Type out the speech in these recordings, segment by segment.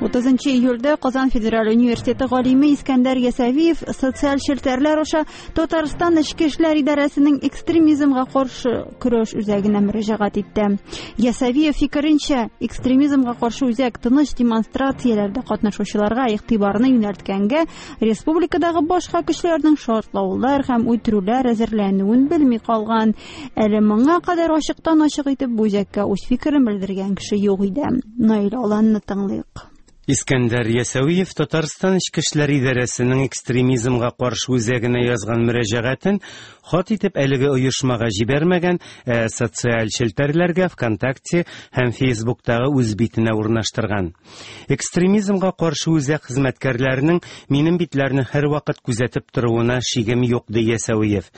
30 июльдә Казан федераль университеты галиме Искәндәр Ясәвиев социаль челтәрләр аша Татарстан Эчке эшләр идарәсенең экстремизмга каршы көрәш үзәгенә мөрәҗәгать итте. Ясәвиев фикеренчә, экстремизмга каршы үзәк тыныч демонстрацияләрдә катнашучыларга игътибарны юнәлткәнгә республикадагы башка көчләрнең шартлаулар һәм үтерүләр әзерләнүен белми калган. Әле моңа кадәр ачыктан-ачык итеп бу үзәккә үз фикерен белдергән кеше юк иде. Наил Аланны тыңлыйк. Искәндәр Ясәвиев Татарстан Эчке эшләр идарәсенең экстремизмга каршы үзәгенә язган мөрәҗәгатен хат итеп әлеге оешмага җибәрмәгән, ә социаль челтәрләргә ВКонтакте һәм Фейсбуктагы үз битенә урнаштырган. Экстремизмга каршы үзәк хезмәткәрләренең минем битләрне һәрвакыт күзәтеп торуына шигем юк, ди Ясәвиев.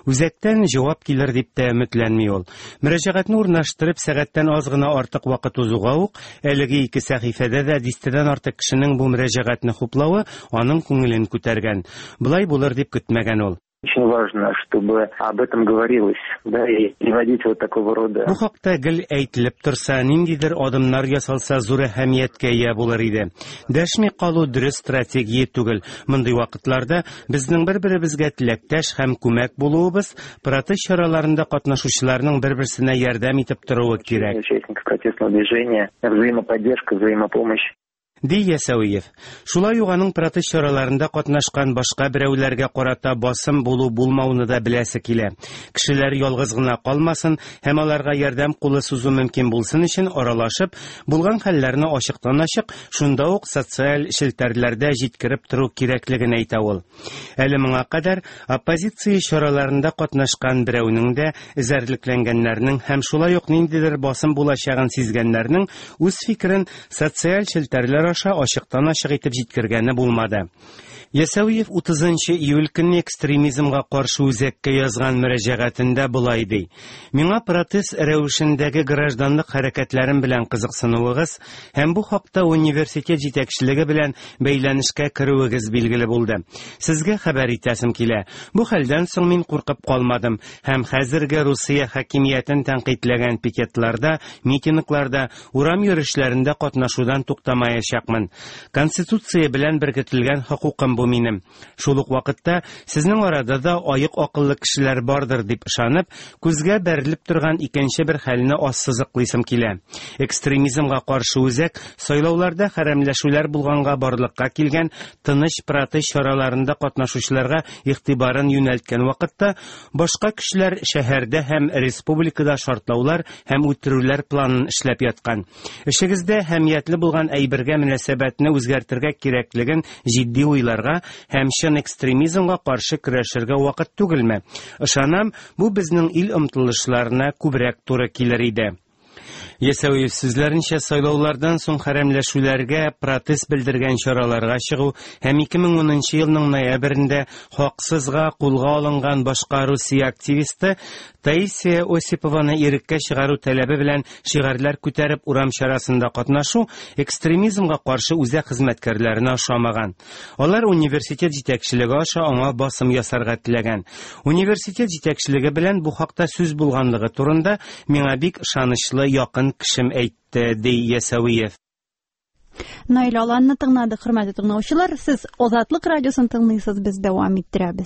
Үзәктән җавап килер дип тә өметләнми ул. Мөрәҗәгатьне урнаштырып, сәгатьтән аз гына артык вакыт узуга ук, әлеге ике сәхифәдә дә дистәдән артык кешенең бу мөрәҗәгатьне хуплавы аның күңелен күтәргән. Болай булыр дип көтмәгән ул. Очень важно, чтобы об этом говорилось, да, и приводить вот такого рода. Бу хакта гел әйтелеп торса, ниндидер адымнар ясалса, зур әһәмияткә ия булыр иде. Дәшми калу дөрес стратегия түгел. Мондый вакытларда Безнең бер-беребезгә теләктәш һәм күмәк булуыбыз, протест чараларында катнашучыларның бер-берсенә ярдәм итеп торуы кирәк. Участников протестного движения, взаимоподдержка, взаимопомощь. Ди Ясәвиев. Шулай ук аның протест чараларында катнашкан башка берәүләргә карата басым булу-булмауны да беләсе килә. Кешеләр ялгыз гына калмасын һәм аларга ярдәм кулы сузу мөмкин булсын өчен аралашып, булган хәлләрне ачыктан-ачык Шунда ук социаль челтәрләрдә җиткереп тору кирәклеген әйтә ул. Әле моңа кадәр оппозиция чараларында катнашкан берәүнең дә, эзәрлекләнгәннәрнең һәм шулай ук ниндидер басым булачагын сизгәннәрнең үз фикерен социаль челтәрләр аша ачыктан-ачык итеп җиткергәне булмады. Ясәвиев 30 нчы июль көнне экстремизмга каршы үзәккә язган мөрәҗәгатендә болай ди: Миңа протест рәвешендәге гражданлык хәрәкәтләрем белән кызыксынуыгыз һәм бу хакта университет җитәкчелеге белән бәйләнешкә керүегез билгеле булды. Сезгә хәбәр итәсем килә. Бу хәлдән соң мин куркып калмадым һәм хәзерге Русия хакимиятен тәнкыйтьләгән пикетларда, митингларда, урам йөрешләрендә катнашудан туктамаячакмын. Конституция белән беркетелгән хокукым бу минем. Шул ук вакытта сезнең арада да аек акыллы кешеләр бардыр дип ышанып, күзгә бәрелеп торган икенче бер хәлне ассызыклыйсым килә. Экстремизмга каршы үзәк сайлауларда хәрәмләшүләр булганга барлыкка килгән тыныч протест чараларында катнашучыларга игътибарын юнәлткән вакытта, башка көчләр шәһәрдә һәм республикада шартлаулар һәм үтерүләр планын эшләп яткан. Эшегездә әһәмиятле булган әйбергә мөнәсәбәтне үзгәртергә кирәклеген җитди уйларга һәм чын экстремизмга каршы көрәшергә вакыт түгелме? Ышанам, бу безнең ил омтылышларына күбрәк туры килер иде. Ясәвиев сүзләренчә, сайлаулардан соң хәрәмләшүләргә протест белдергән чараларга чыгу һәм 2010 елның ноябрендә хаксызга кулга алынган башка Русия активисты Таисия Осипованы иреккә чыгару таләбе белән шигарьләр күтәреп урам чарасында катнашу экстремизмга каршы үзәк хезмәткәрләренә ошамаган. Алар университет җитәкчелеге аша аңа басым ясарга теләгән. Университет җитәкчелеге белән бу хакта сүз булганлыгы турында миңа бик ышанычлы якын кешем әйтте, ди Ясәвиев. Наил Аланны тыңладык, хөрмәтле тыңлаучылар. Сез Азатлык радиосын тыңлыйсыз, без дәвам иттерәбез.